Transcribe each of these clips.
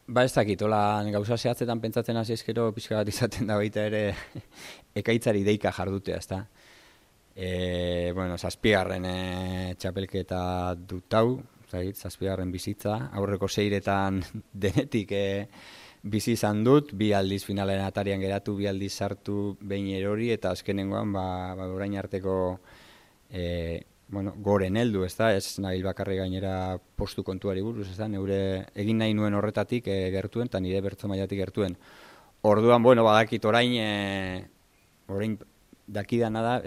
Ba ez dakit, gauza zehatzetan pentsatzen hasi ezkero pixka bat izaten da baita ere ekaitzari deika jardutea, ezta? Bueno, zazpigarren txapelketa dut hau, zazpigarren bizitza, aurreko seiretan denetik bizi izan dut, bi aldiz finalen atarian geratu, bi aldiz sartu behin erori, eta azkenengoan orain arteko goren heldu, ez nabil bakarri gainera postu kontuari buruz, neure egin nahi nuen horretatik gertuen, eta nire bertso mailatik gertuen. Orduan, badakit orain dakidana da,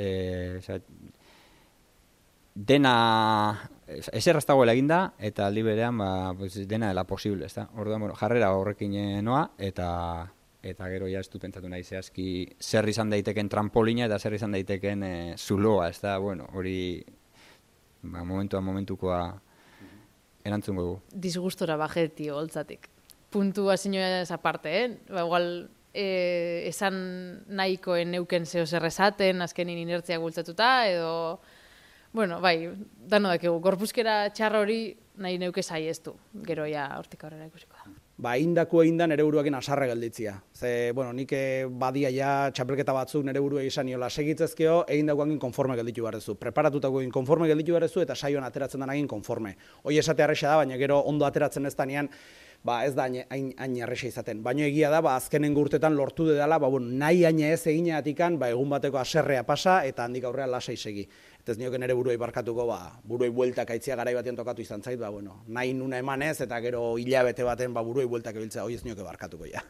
dena ezer dagoela eginda, eta aldi berean dena dela posible, ezta? Orduan, jarrera horrekin noa, eta gero ja ez du pentsatu nahi zehazki zer izan daiteken trampolina eta zer izan daiteken zuloa, ezta? Hori momentukoa erantzungo dugu. Disgustora bajeti holtzatik. Puntuazioa ez aparte, igual esan nahikoen neuken zeo zer esaten, azkenin inertziak bultzatuta, edo... bai, dano dakigu, gorpuzkera txarra hori nahi neuke saiestu, gero ja hortik aurrera ikusiko da. Indako egin da nere buruakin asarra gelditzia. Nik badia ja txapelketa batzuk nere burua izan niola segitzezkeo, egin dagoekin konforme gelditu behar preparatutako egin konforme gelditu behar eta saioan ateratzen den egin konforme. Hoi esate arresa da, baina gero ondo ateratzen ez danean, ez da hain erresa izaten. Baina egia da, azkenengo urtetan lortu dedala, nahi haina ez egineatikan, egun bateko aserrea pasa eta handik aurrean lasai segi. Eta ez nioken ere buruei barkatuko, buruei bueltak aitzia garai batean tokatu izan zait, nahi nuna emanez eta gero hilabete baten buruei bueltak ebiltzea, hoi ez nioke barkatuko ja.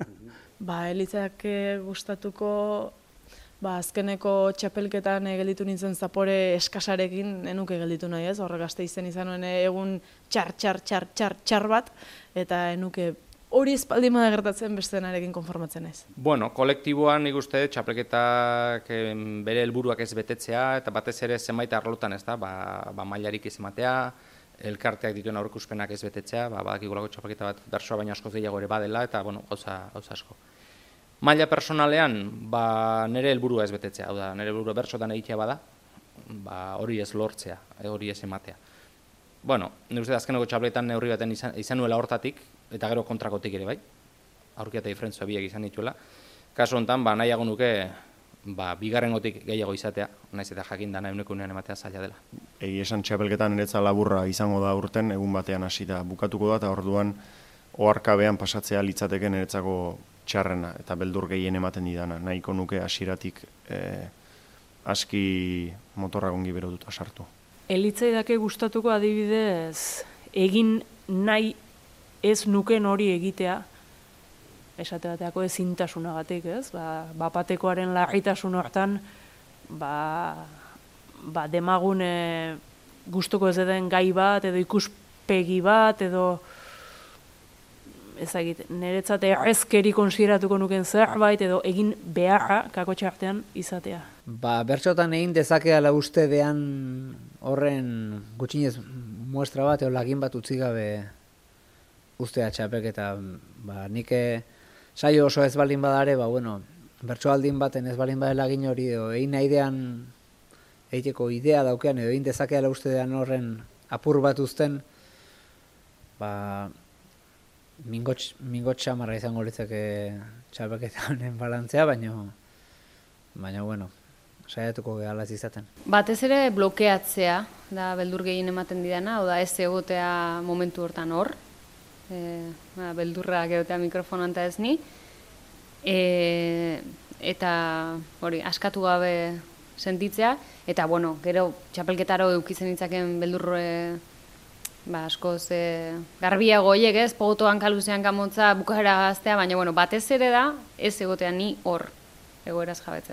Elitzak gustatuko, azkeneko txapelketan gelditu nintzen zapore eskasarekin enuke gelditu nahi ez, horrek gazte izen izan nuen egun txar bat, eta enuke hori espaldi mada gertatzen bestenarekin konformatzen ez. Kolektiboan nik uste txapelketak bere helburuak ez betetzea, eta batez ere zenbait arlotan ez da, mailarik ez ematea, elkarteak dituen aurreikuspenak ez betetzea, badakigulako txapelketa bat bersoa baina askoz gehiago ere badela, eta gauza asko. Maila personalean, nire helburua ez betetzea, hau da, nire helburua bersotan egitea bada, hori ez lortzea, hori ez ematea. Nire uste azkeneko txapelketan neurri baten izan nuela hortatik, eta gero kontrakotik ere bai, aurkia eta diferentzua biak izan dituela. Kasu honetan, nahiago nuke, bigarrengotik gehiago izatea, naiz eta jakin dana euneko unean ematea zaila dela. Egi esan txapelketan niretza laburra izango da urten, egun batean hasi da bukatuko da, eta orduan oharkabean pasatzea litzateke niretzako txarrena, eta beldur gehien ematen didana. Nahiko nuke hasieratik aski motorra gongi berotuta sartu. Elitzaidake gustatuko adibidez, egin nahi ez nuken hori egitea, esate bateako ezintasunagatik, ez? Bapatekoaren larritasun hortan, demagun gustuko ez den gai bat, edo ikuspegi bat, edo ezagit, niretzat errezkeri konsideratuko nuken zerbait, edo egin beharra kakotxe artean izatea. Bertsotan egin dezakeala uste dean horren gutxinez muestra bat, edo lagin bat utzi gabe ustea txapelketa, nik saio oso ez baldin badare, bertsoaldin baten ez baldin badela egin hori, edo egin nahidean egiteko idea daukean, edo egin dezakeala uste dean horren apur bat uzten, mingot xamarra izango litzake txapelketa honen balantzea, baina saiatuko gehalaz izaten. Batez ere blokeatzea da beldur gehien ematen didana, oda ez egotea momentu hortan hor, beldurrak egotea mikrofonoan eta ez ni, eta hori, askatu gabe sentitzea, eta gero txapelketaro eukitzen ditzaken beldurre askoz garbiago horiek ez, pogotoan kaluzean kamotza bukaera gaztea, baina batez ere da ez egotea ni hor egoeraz jabetzen.